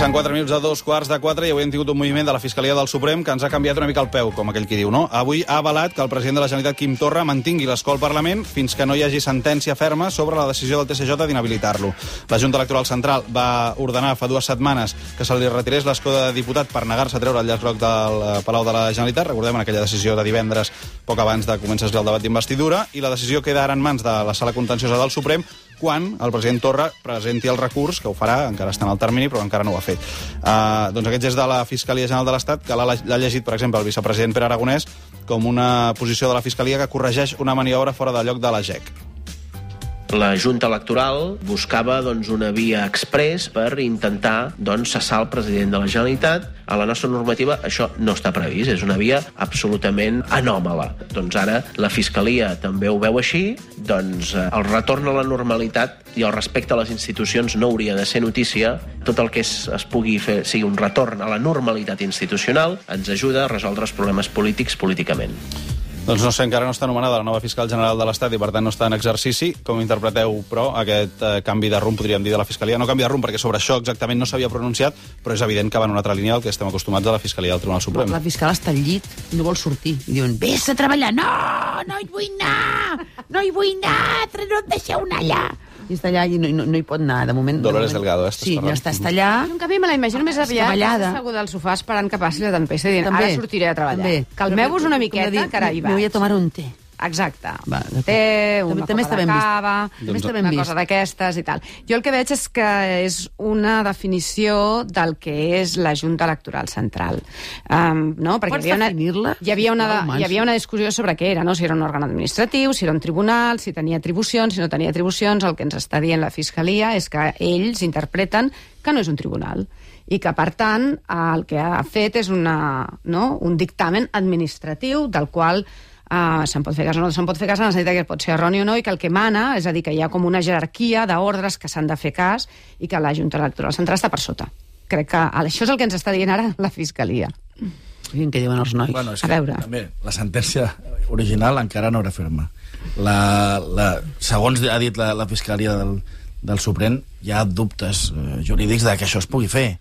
Passen 4 minuts de 3:45 i avui hem tingut un moviment de la Fiscalia del Suprem que ens ha canviat una mica el peu, com aquell qui diu, no? Avui ha avalat que el president de la Generalitat, Quim Torra, mantingui l'escó al Parlament fins que no hi hagi sentència ferma sobre la decisió del TSJ d'inhabilitar-lo. La Junta Electoral Central va ordenar fa 2 setmanes que se li retirés l'escó de diputat per negar-se a treure el llaç groc del Palau de la Generalitat. Recordem en aquella decisió de divendres, poc abans de començar el debat d'investidura, i la decisió queda ara en mans de la Sala Contenciosa del Suprem quan el president Torra presenti el recurs, que ho farà, encara està en el termini, però encara no ho ha fet. Doncs aquest és de la Fiscalia General de l'Estat, que l'ha llegit, per exemple, el vicepresident Pere Aragonès com una posició de la Fiscalia que corregeix una maniobra fora de lloc de la GEC. La Junta Electoral buscava una via exprés per intentar cessar el president de la Generalitat. A la nostra normativa això no està previst, és una via absolutament anòmala. Ara la Fiscalia també ho veu així, el retorn a la normalitat i el respecte a les institucions no hauria de ser notícia. Tot el que es pugui fer sigui un retorn a la normalitat institucional ens ajuda a resoldre els problemes polítics políticament. Doncs no sé, encara no està anomenada la nova fiscal general de l'Estat i per tant no està en exercici. Com interpreteu, però, aquest canvi de rumb, podríem dir, de la Fiscalia? No canvi de rumb, perquè sobre això exactament no s'havia pronunciat, però és evident que va en una altra línia del que estem acostumats a la Fiscalia del Tribunal Suprem. La fiscal està al llit i no vol sortir. I diuen, vés a treballar. No hi vull anar, no em deixeu anar allà. I està allà i no hi pot anar, de moment. Dolores Delgado, sí, ja està allà. En canvi, me la imagino més aviat asseguda al sofà esperant que passi la tempesta i dient, ara sortiré a treballar. Calmeu-vos una miqueta, que ara hi vaig. Me voy a tomar un té. Exacte. Té una copa de cava, una cosa d'aquestes i tal. Jo el que veig és que és una definició del que és la Junta Electoral Central. Pots definir-la? Hi havia una discussió sobre què era, no? Si era un òrgan administratiu, si era un tribunal, si tenia atribucions, si no tenia atribucions. El que ens està dient la Fiscalia és que ells interpreten que no és un tribunal i que, per tant, el que ha fet és un dictamen administratiu del qual se'n pot fer cas o no se'n pot fer cas, en el sentit que pot ser erroni o no, i que el que mana, és a dir, que hi ha com una jerarquia d'ordres que s'han de fer cas i que la Junta Electoral Central està per sota. Crec que això és el que ens està dient ara la Fiscalia. Què diuen els nois? Bueno, a veure. També, la sentència original encara no era ferma. Segons ha dit la Fiscalia del Suprem, hi ha dubtes jurídics de que això es pugui fer.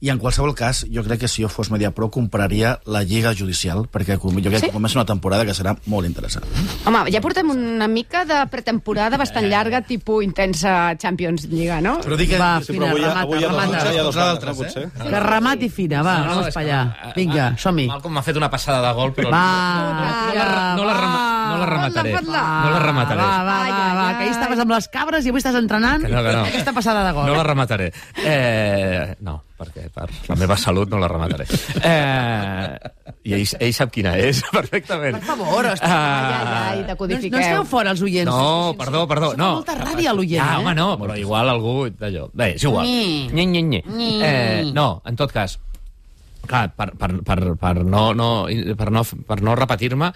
I en qualsevol cas, jo crec que si jo fos Mediapro compraria la Lliga Judicial, perquè jo crec que comença una temporada que serà molt interessant. Home, ja portem una mica de pretemporada bastant llarga, tipus intensa Champions Lliga, no? Però dic que... Va, fina, remata. Que remati fina, va, vamos pa allà. Vinga, som-hi. Malcom m'ha fet una passada de gol, però no la remataré. No la remataré. Va, que ahir estaves amb les cabres i avui estàs entrenant. No. Aquesta passada de gol. No la remataré. No, perquè per la meva salut no la remataré. I ell sap quina és, perfectament. Per favor, i decodifiqueu. No esteu fora els oients. No, perdó. Fa molta ràbia a l'oient, home, no, però igual algú d'allò. Bé, és igual. No, en tot cas, clar, per no repetir-me,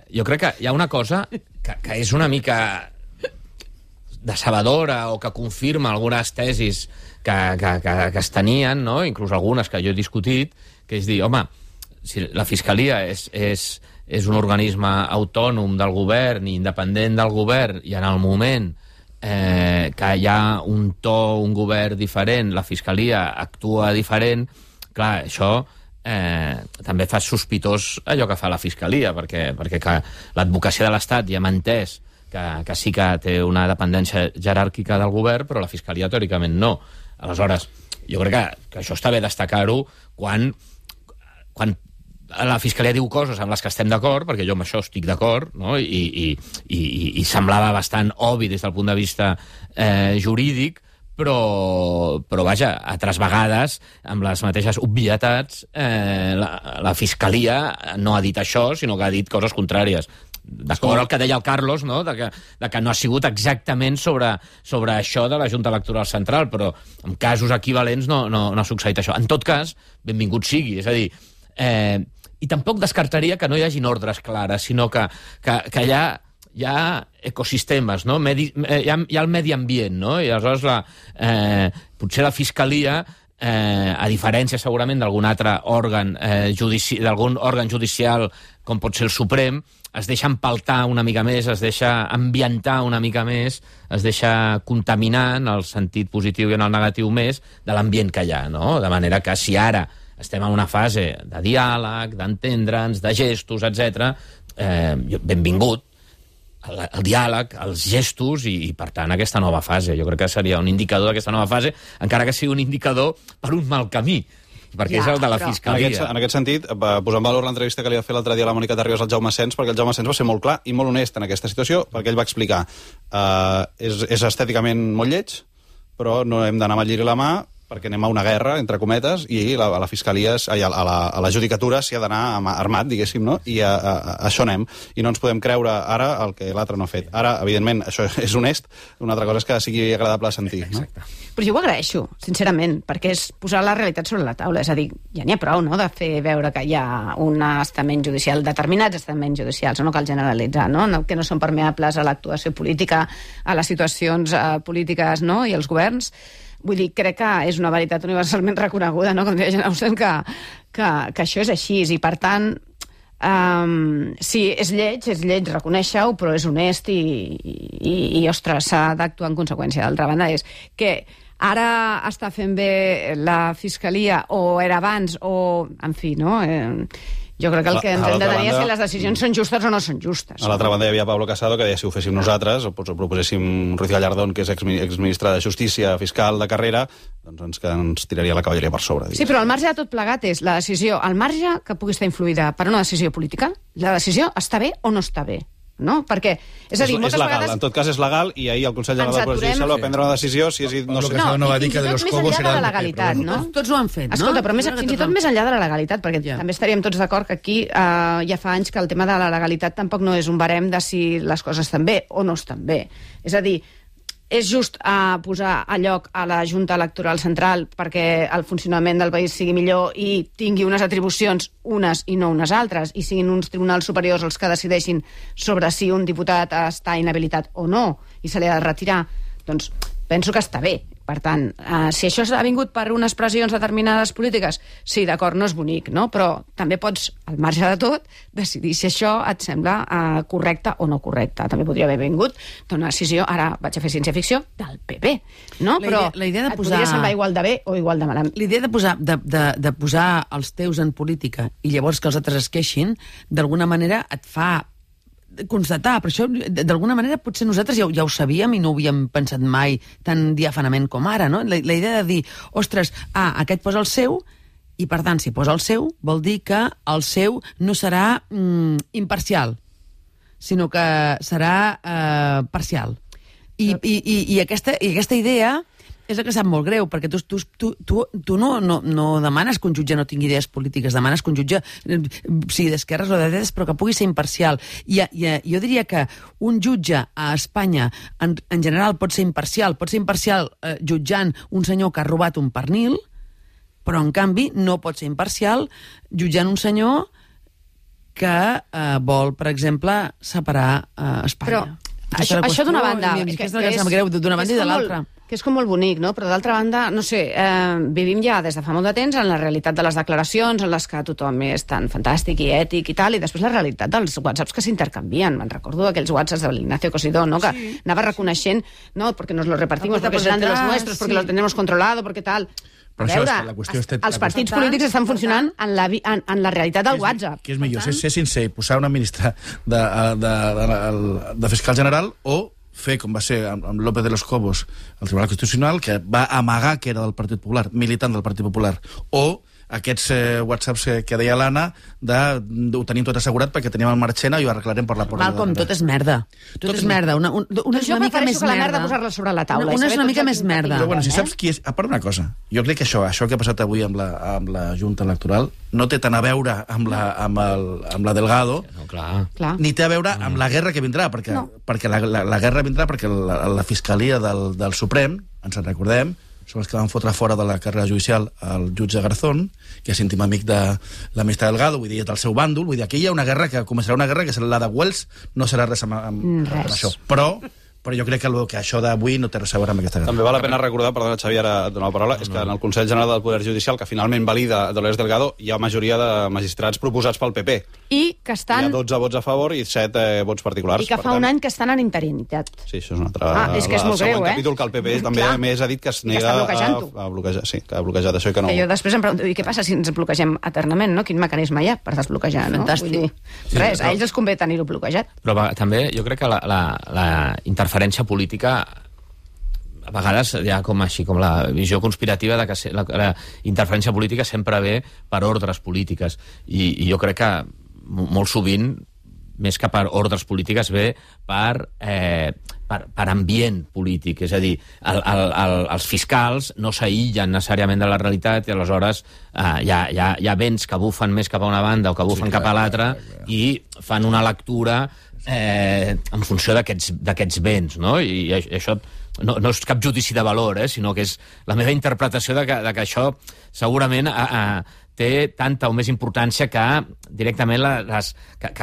jo crec que hi ha una cosa que és una mica decebedora o que confirma algunes tesis que es tenien, no? Inclús algunes que jo he discutit, que és dir, home, si la Fiscalia és un organisme autònom del govern i independent del govern, i en el moment que hi ha un to, un govern diferent, la Fiscalia actua diferent, clar, això també fa sospitós allò que fa la Fiscalia, perquè l'advocacia de l'Estat ja m'ha entès que sí que té una dependència jeràrquica del govern, però la Fiscalia teòricament no. Aleshores, jo crec que això està bé destacar-ho quan la Fiscalia diu coses amb les que estem d'acord, perquè jo amb això estic d'acord, no? I semblava bastant obvi des del punt de vista jurídic, però vaja, altres vegades, amb les mateixes obvietats, la Fiscalia no ha dit això, sinó que ha dit coses contràries. D'acord el que deia el Carlos, no? de que no ha sigut exactament sobre això de la Junta Electoral Central, però en casos equivalents no ha succeït això. En tot cas, benvingut sigui, és a dir, i tampoc descartaria que no hi hagin ordres clares, sinó que hi ha ecosistemes, no? Hi ha el medi ambient, no? I aleshores potser la Fiscalia, a diferència segurament d'algun altre òrgan d'algun òrgan judicial com pot ser el Suprem, es deixa empaltar una mica més, es deixa ambientar una mica més, es deixa contaminar en el sentit positiu i en el negatiu més de l'ambient que hi ha, no? De manera que si ara estem en una fase de diàleg, d'entendre'ns, de gestos, etc., benvingut el diàleg, els gestos i, per tant, aquesta nova fase. Jo crec que seria un indicador d'aquesta nova fase, encara que sigui un indicador per un mal camí, perquè és el de la Fiscalia. En aquest sentit, posar en valor l'entrevista que li va fer l'altre dia a la Mònica Terribas al Jaume Sens, perquè el Jaume Sens va ser molt clar i molt honest en aquesta situació, perquè ell va explicar és estèticament molt lleig, però no hem d'anar amb el lliri a la mà, perquè anem a una guerra, entre cometes, i a la Fiscalia, a la Judicatura s'hi ha d'anar armat, diguéssim, no? I a això anem. I no ens podem creure ara el que l'altre no ha fet. Ara, evidentment, això és honest, una altra cosa és que sigui agradable a sentir. Exacte. No? Però jo ho agraeixo, sincerament, perquè és posar la realitat sobre la taula. És a dir, ja n'hi ha prou, no?, de fer veure que hi ha un estament judicial, determinats estaments judicials, no cal generalitzar, no?, que no són permeables a l'actuació política, a les situacions polítiques, no?, i als governs. Vull dir, crec que és una veritat universalment reconeguda, no?, com deia Jane Austen, que això és així. I, per tant, sí, és lleig, reconèixer-ho, però és honest i ostres, s'ha d'actuar en conseqüència. D'altra banda, és que ara està fent bé la Fiscalia, o era abans, o... En fi, no? Jo crec que el que ens hem de tenir és si les decisions són justes o no són justes. A l'altra banda hi havia Pablo Casado, que deia si ho féssim nosaltres, o proposéssim Ruiz Gallardón, que és exministre de Justícia, fiscal de carrera, doncs ens tiraria la cavalleria per sobre. Sí, però al marge de tot plegat és la decisió, al marge que pugui estar influïda per una decisió política, la decisió està bé o no està bé. No? Perquè, és a dir, moltes legal. vegades... En tot cas és legal, i ahir el Consell General del Poder Judicial va prendre una decisió si és... No, no va dir que de los cobos era de la legalitat, no? Tots ho han fet, no? Escolta, però fins i tot més enllà de la legalitat, perquè també estaríem tots d'acord que aquí ja fa anys que el tema de la legalitat tampoc no és un barem de si les coses estan bé o no estan bé. És a dir, és just posar a lloc a la Junta Electoral Central perquè el funcionament del país sigui millor i tingui unes atribucions, unes i no unes altres, i siguin uns tribunals superiors els que decideixin sobre si un diputat està inhabilitat o no i se li ha de retirar, doncs penso que està bé. Per tant, si això ha vingut per unes pressions determinades polítiques, sí, d'acord, no és bonic, no? Però també pots, al marge de tot, decidir si això et sembla correcte o no correcte. També podria haver vingut d'una decisió, ara vaig a fer ciència-ficció, del PP, no? Però la idea de et podria semblar igual de bé o igual de malament. L'idea de posar els teus en política i llavors que els altres es queixin, d'alguna manera et fa constatar, però això d'alguna manera potser nosaltres ja ho sabíem i no ho havíem pensat mai tan diàfanament com ara, no? La idea de dir, ostres, aquest posa el seu i per tant si posa el seu vol dir que el seu no serà imparcial, sinó que serà parcial. I aquesta idea és el que sap molt greu, perquè tu no demanes que un jutge no tingui idees polítiques, demanes que un jutge sigui d'esquerres o de dretes, però que pugui ser imparcial. Jo diria que un jutge a Espanya, en general, pot ser imparcial jutjant un senyor que ha robat un pernil, però, en canvi, no pot ser imparcial jutjant un senyor que vol, per exemple, separar Espanya. Però això d'una banda... Que és d'una banda i de l'altra. Que és com molt bonic, no? Però d'altra banda, no sé, vivim ja des de fa molt de temps en la realitat de les declaracions, en les que tothom és tan fantàstic i ètic i tal, i després la realitat dels whatsapps que s'intercanvien. Me'n recordo aquells whatsapps de l'Ignacio Cosidó, no? Que anava reconeixent, no, porque nos lo repartimos, porque serán de los nuestros, porque los tenemos controlado, porque tal... Però a veure, la qüestió els partits polítics estan funcionant en la realitat del WhatsApp. Què és millor, ser sincer i posar una ministra de fiscal general o fer, com va ser amb López de los Cobos al Tribunal Constitucional, que va amagar que era del Partit Popular, militant del Partit Popular, o aquests whatsapps que deia l'Anna ho tenim tot assegurat perquè tenim el Marchena i ho arreglarem per la porta. Malcom, tot és merda. Tot és merda. Una és una mica més la merda posar-la sobre la taula. Una és una mica més merda. Però bueno, si saps qui és... A part una cosa, jo crec que això que ha passat avui amb la Junta Electoral no té tant a veure amb la Delgado, No, clar. ni té a veure amb la guerra que vindrà, perquè la guerra vindrà perquè la Fiscalia del Suprem, ens en recordem, són els que van fotre fora de la carrera judicial el jutge Garzón, que és íntim amic de la ministra Delgado, vull dir, del seu bàndol, vull dir, aquí hi ha una guerra que començarà una guerra que serà la de Wells, no serà res amb això. Però però jo crec que això d'avui no té res a veure amb aquesta... També val la pena recordar, perdona Xavi, ara et dono la paraula, és que en el Consell General del Poder Judicial, que finalment valida Dolores Delgado, hi ha majoria de magistrats proposats pel PP. I que estan... Hi ha 12 vots a favor i 7 vots particulars. I que fa un any que estan en interinitat. Sí, això és un altre... És que és molt greu, El següent capítol que el PP també més ha dit que es nega a bloquejar. Sí, que ha bloquejat això i que no... Que jo després em pregunto, i què passa si ens bloquegem eternament, no? Quin mecanisme hi ha per desbloquejar, no? Fantàstic. Vull dir, res, a ells els convé tenir-ho bloquejat. Però també jo crec que la interferència política a vegades hi ha com la visió conspirativa de que la interferència política sempre ve per ordres polítiques i jo crec que molt sovint més que per ordres polítiques ve per ambient polític, és a dir, els fiscals no s'aïllen necessàriament de la realitat i aleshores hi ha vents que bufen més cap a una banda o que bufen cap a l'altra i fan una lectura en funció d'aquests vents, no? I això no és cap judici de valor, sinó que és la meva interpretació de que això segurament té tanta o més importància que directament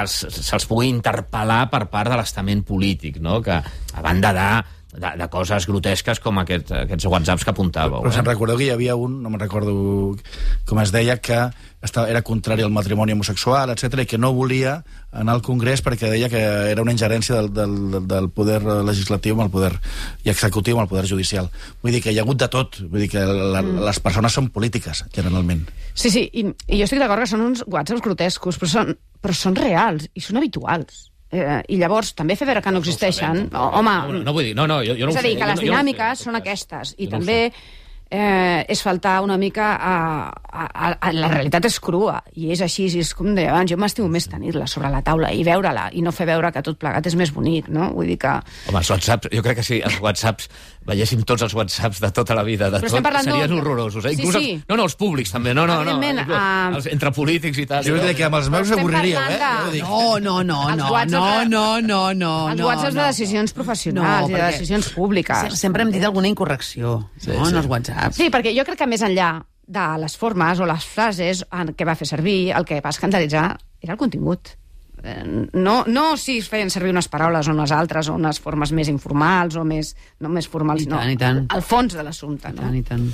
se'ls pugui interpel·lar per part de l'estament polític, no? Que a banda de coses grotesques com aquests whatsapps que apuntàveu. Però se'n recordeu que hi havia un, no me'n recordo com es deia, que era contrari al matrimoni homosexual, etc i que no volia anar al Congrés perquè deia que era una ingerència del poder legislatiu amb el poder i executiu amb el poder judicial. Vull dir que hi ha hagut de tot, vull dir que les persones són polítiques, generalment. Sí, i jo estic d'acord que són uns whatsapps grotescos, però són reals i són habituals. I llavors també fer veure que no existeixen, home... No vull dir, no, jo no ho sé. És a dir, que les dinàmiques són aquestes, i també és faltar una mica la realitat és crua, i és així, i és com deia abans, jo m'estimo més tenir-la sobre la taula i veure-la, i no fer veure que tot plegat és més bonic, no? Vull dir que... Home, els whatsapps, jo crec que si els whatsapps veiéssim tots els whatsapps de tota la vida, de tot, serien horrorosos. Inclús sí. No, els públics també, no. Entre polítics i tal. Jo crec que amb els meus avorriríeu, No. Els whatsapps de decisions professionals i de decisions públiques. Sempre hem dit alguna incorrecció, en els whatsapps. Sí, perquè jo crec que més enllà de les formes o les frases que va fer servir, el que va escandalitzar era el contingut. No si es feien servir unes paraules o unes altres, o unes formes més informals o no més formals, I tant. El fons de l'assumpte. I tant.